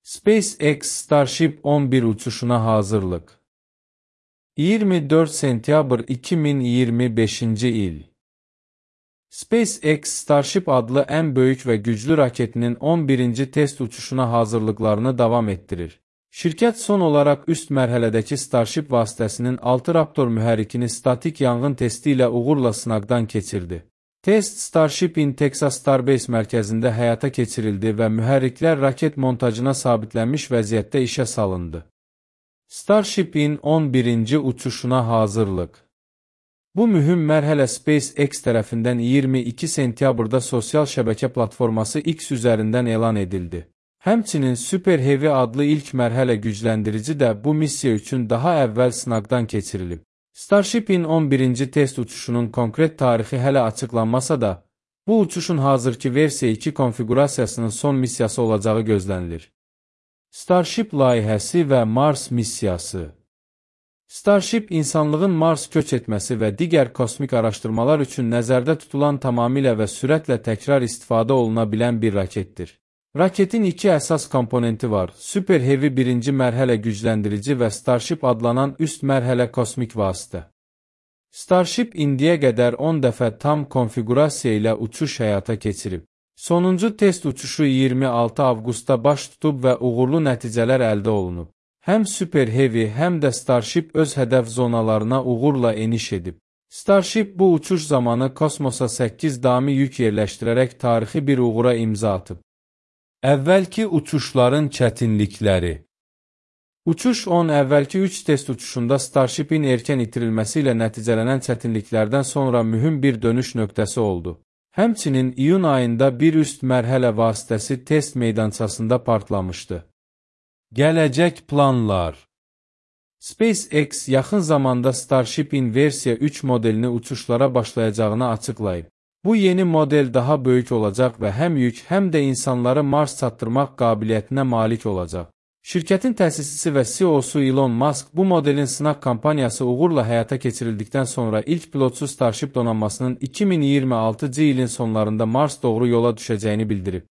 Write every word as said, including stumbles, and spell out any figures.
SpaceX Starship on bir uçuşuna hazırlık. iyirmi dörd sentyabr iki min iyirmi beşinci il. SpaceX Starship adlı ən böyük və güclü raketinin on birinci test uçuşuna hazırlıqlarını davam etdirir. Şirkət son olaraq üst mərhələdəki Starship vasitəsinin altı Raptor mühərrikini statik yanğın testi ilə uğurla sınaqdan keçirdi. Test Starship-in Texas Starbase mərkəzində həyata keçirildi və mühərriklər raket montajına sabitlənmiş vəziyyətdə işə salındı. Starship-in on birinci uçuşuna hazırlıq. Bu mühüm mərhələ SpaceX tərəfindən iyirmi iki sentyabrda sosial şəbəkə platforması X üzərindən elan edildi. Həmçinin Super Heavy adlı ilk mərhələ gücləndirici də bu missiya üçün daha əvvəl sınaqdan keçirilib. Starship-in on birinci test uçuşunun konkret tarixi hələ açıqlanmasa da, bu uçuşun hazırki versiya iki konfigurasiyasının son missiyası olacağı gözlənilir. Starship layihəsi və Mars missiyası. Starship, insanlığın Mars köç etməsi və digər kosmik araşdırmalar üçün nəzərdə tutulan tamamilə və sürətlə təkrar istifadə oluna bilən bir raketdir. Raketin iki əsas komponenti var: Super Heavy birinci mərhələ gücləndirici və Starship adlanan üst mərhələ kosmik vasitə. Starship indiyə qədər on dəfə tam konfigurasiya ilə uçuş həyata keçirib. Sonuncu test uçuşu iyirmi altı avqustda baş tutub və uğurlu nəticələr əldə olunub. Həm Super Heavy, həm də Starship öz hədəf zonalarına uğurla eniş edib. Starship bu uçuş zamanı kosmosa səkkiz dami yük yerləşdirərək tarixi bir uğura imza atıb. Əvvəlki uçuşların çətinlikləri. Uçuş on əvvəlki üç test uçuşunda Starship-in erkən itirilməsi ilə nəticələnən çətinliklərdən sonra mühüm bir dönüş nöqtəsi oldu. Həmçinin iyun ayında bir üst mərhələ vasitəsi test meydançasında partlamışdı. Gələcək planlar. SpaceX yaxın zamanda Starship-in versiya üç modelini uçuşlara başlayacağını açıqlayıb. Bu yeni model daha böyük olacaq və həm yük, həm də insanları Mars çatdırmaq qabiliyyətinə malik olacaq. Şirkətin təsisçisi və C E O-su Elon Musk bu modelin sınaq kampaniyası uğurla həyata keçirildikdən sonra ilk pilotsuz Starship donanmasının iki min iyirmi altıncı ilin sonlarında Mars doğru yola düşəcəyini bildirib.